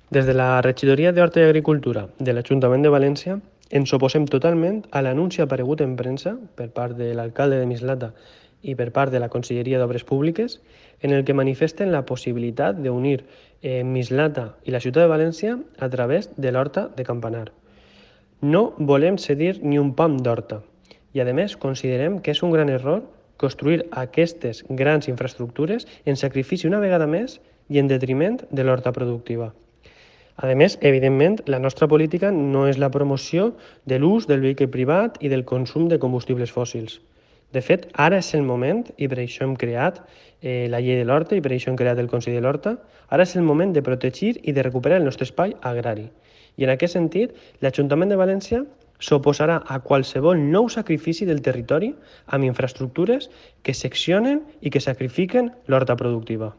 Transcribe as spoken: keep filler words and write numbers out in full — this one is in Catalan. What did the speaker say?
Des de la Regidoria d'Horta i Agricultura de l'Ajuntament de València ens oposem totalment a l'anunci aparegut en premsa per part de l'alcalde de Mislata i per part de la Conselleria d'Obres Públiques en el que manifesten la possibilitat d'unir eh, Mislata i la ciutat de València a través de l'Horta de Campanar. No volem cedir ni un pam d'horta i, a més, considerem que és un gran error construir aquestes grans infraestructures en sacrifici una vegada més i en detriment de l'horta productiva. A més, evidentment, la nostra política no és la promoció de l'ús del vehicle privat i del consum de combustibles fòssils. De fet, ara és el moment, i per això hem creat eh, la llei de l'horta i per això hem creat el Consell de l'Horta, ara és el moment de protegir i de recuperar el nostre espai agrari. I en aquest sentit, l'Ajuntament de València s'oposarà a qualsevol nou sacrifici del territori amb infraestructures que seccionen i que sacrifiquen l'horta productiva.